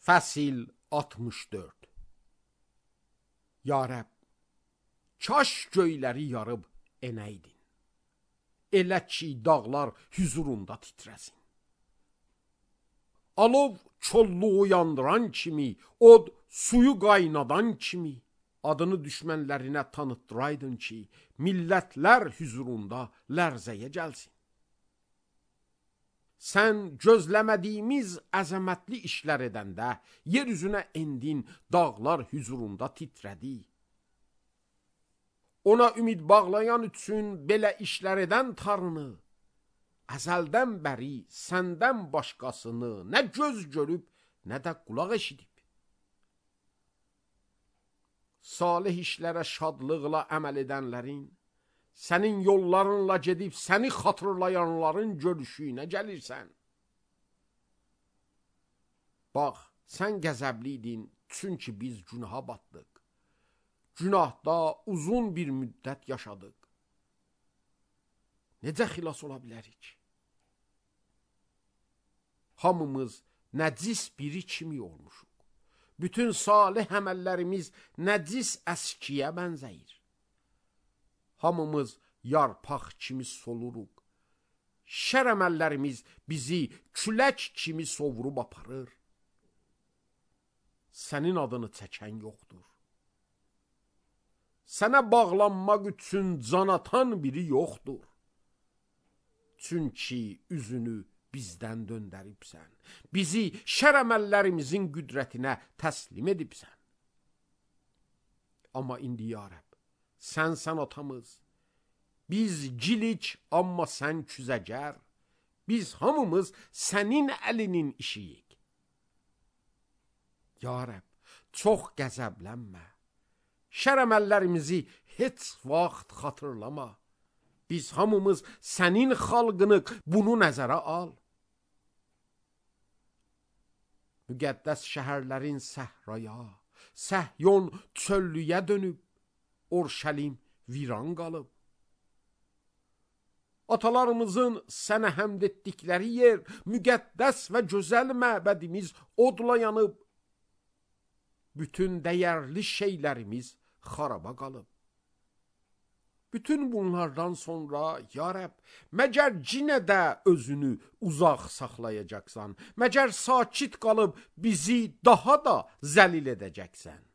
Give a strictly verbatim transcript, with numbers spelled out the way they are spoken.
Fəsil altmış dörd. Ya Rəbb, kaş göyləri yarıb enəydin, elə ki dağlar hüzurunda titrəsin. Alov çolluğu yandıran kimi, od suyu qaynadan kimi, adını düşmənlərinə tanıtdıraydın ki, millətlər hüzurunda lərzəyə gəlsin. Sən gözləmədiyimiz əzəmətli işlər edəndə, yer üzünə endin, dağlar hüzurunda titrədi. Ona ümid bağlayan üçün belə işlər edən Tanrını, əzəldən bəri səndən başqasını nə göz görüb, nə də qulaq eşidib. Salih işlərə şadlıqla əməl edənlərin, sənin yollarınla gedib səni xatırlayanların görüşünə gəlirsən. Bax, sən qəzəbliydin, çünki biz günaha batdıq. Günahda uzun bir müddət yaşadıq. Necə xilas ola bilərik? Hamımız nəcis biri kimi olmuşuq. Bütün salih əməllərimiz nəcis əskiyə bənzəyir. Hamımız yarpaq kimi soluruq. Şər əməllərimiz bizi külək kimi sovurub aparır. Sənin adını çəkən yoxdur. Sənə bağlanmaq üçün can atan biri yoxdur. Çünki üzünü bizdən döndəribsən. Bizi şər əməllərimizin qüdrətinə təslim edibsən. Amma indi ya Rəbb, sən sən atamız, biz gilik, amma sən küzəgər, biz hamımız sənin əlinin işiyik. Ya Rəbb, çox qəzəblənmə, şər əməllərimizi heç vaxt xatırlama, biz hamımız sənin xalqını bunu nəzərə al. Müqəddəs şəhərlərin səhraya, Səhyon çöllüyə dönüb, Orşəlim viran qalıb. Atalarımızın sənə həmd etdikləri yer, müqəddəs və gözəl məbədimiz odla yanıb. Bütün dəyərli şeylərimiz xaraba qalıb. Bütün bunlardan sonra, ya Rəbb, məgər cinə də özünü uzaq saxlayacaqsan, məgər sakit qalıb bizi daha da zəlil edəcəksən.